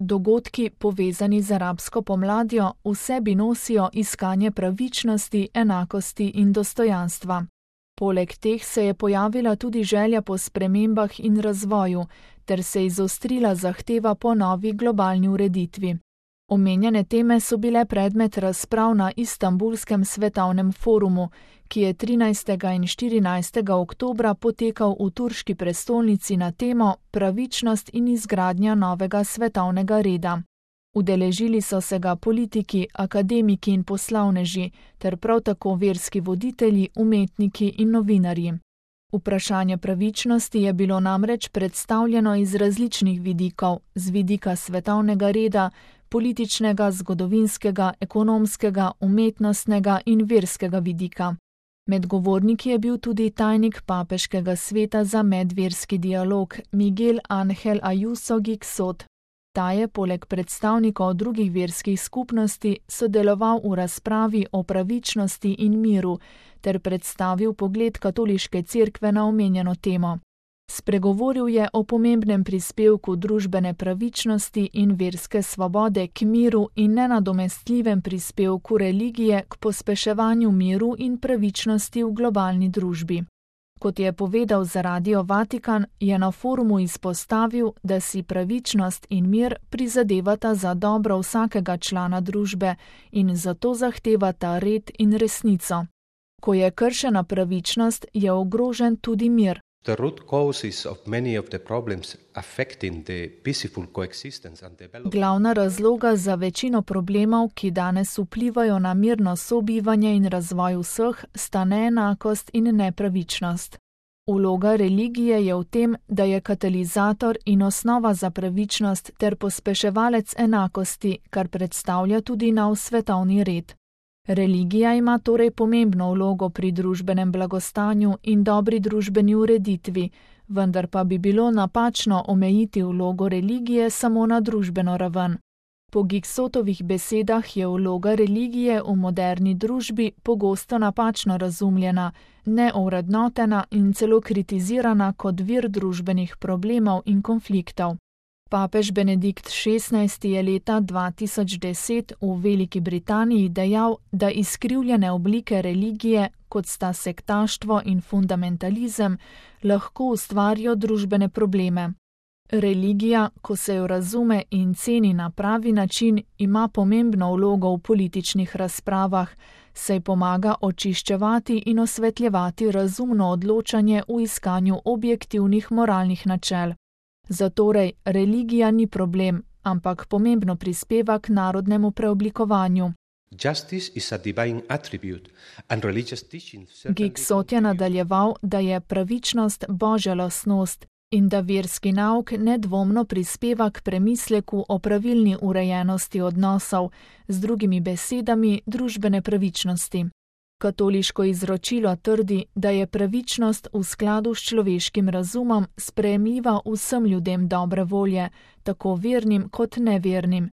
Dogodki, povezani z arabsko pomladjo, v sebi nosijo iskanje pravičnosti, enakosti in dostojanstva. Poleg teh se je pojavila tudi želja po spremembah in razvoju, ter se izostrila zahteva po novi globalni ureditvi. Omenjene teme so bile predmet razprav na Istanbulskem svetovnem forumu, ki je 13. in 14. oktobra potekal v turški prestolnici na temo Pravičnost in izgradnja novega svetovnega reda. Udeležili so se ga politiki, akademiki in poslovneži, ter prav tako verski voditelji, umetniki in novinarji. Vprašanje pravičnosti je bilo namreč predstavljeno iz različnih vidikov, z vidika svetovnega reda, političnega, zgodovinskega, ekonomskega, umetnostnega in verskega vidika. Med govorniki je bil tudi tajnik Papeškega sveta za medverski dialog Miguel Ángel Ayuso Gixot. Ta je poleg predstavnikov drugih verskih skupnosti sodeloval v razpravi o pravičnosti in miru ter predstavil pogled katoliške cerkve na omenjeno temo. Spregovoril je o pomembnem prispevku družbene pravičnosti in verske svobode k miru in nenadomestljivem prispevku religije k pospeševanju miru in pravičnosti v globalni družbi. Kot je povedal za Radio Vatikan, je na forumu izpostavil, da si pravičnost in mir prizadevata za dobro vsakega člana družbe in zato zahtevata red in resnico. Ko je kršena pravičnost, je ogrožen tudi mir. The root causes of many of the problems affecting the peaceful coexistence and development. Glavna razloga za večino problemov, ki danes vplivajo na mirno sobivanje in razvoj vseh, sta neenakost in nepravičnost. Vloga religije je v tem, da je katalizator in osnova za pravičnost ter pospeševalec enakosti, kar predstavlja tudi nov svetovni red. Religija ima torej pomembno vlogo pri družbenem blagostanju in dobri družbeni ureditvi, vendar pa bi bilo napačno omejiti vlogo religije samo na družbeno raven. Po Gixotovih besedah je vloga religije v moderni družbi pogosto napačno razumljena, neovrednotena in celo kritizirana kot vir družbenih problemov in konfliktov. Papež Benedikt XVI je leta 2010 v Veliki Britaniji dejal, da izkrivljene oblike religije, kot sta sektaštvo in fundamentalizem, lahko ustvarijo družbene probleme. Religija, ko se jo razume in ceni na pravi način, ima pomembno vlogo v političnih razpravah, saj pomaga očiščevati in osvetljevati razumno odločanje v iskanju objektivnih moralnih načel. Zatorej, religija ni problem, ampak pomembno prispeva k narodnemu preoblikovanju. Gixot je nadaljeval, da je pravičnost božja lastnost in da verski nauk nedvomno prispeva k premisleku o pravilni urejenosti odnosov, z drugimi besedami družbene pravičnosti. Katoliško izročilo trdi, da je pravičnost v skladu s človeškim razumom sprejemljiva vsem ljudem dobre volje, tako vernim kot nevernim.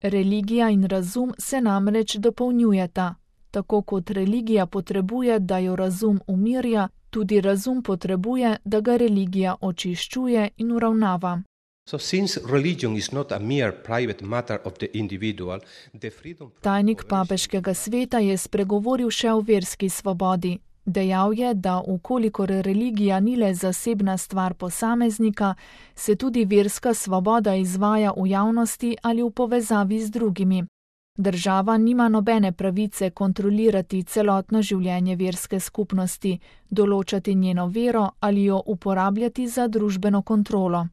Religija in razum se namreč dopolnjujeta. Tako kot religija potrebuje, da jo razum umirja, tudi razum potrebuje, da ga religija očiščuje in uravnava. Tajnik Papeškega sveta je spregovoril še o verski svobodi. Dejal je, da ukolikor religija ni le zasebna stvar posameznika, se tudi verska svoboda izvaja v javnosti ali v povezavi z drugimi. Država nima nobene pravice kontrolirati celotno življenje verske skupnosti, določati njeno vero ali jo uporabljati za družbeno kontrolo.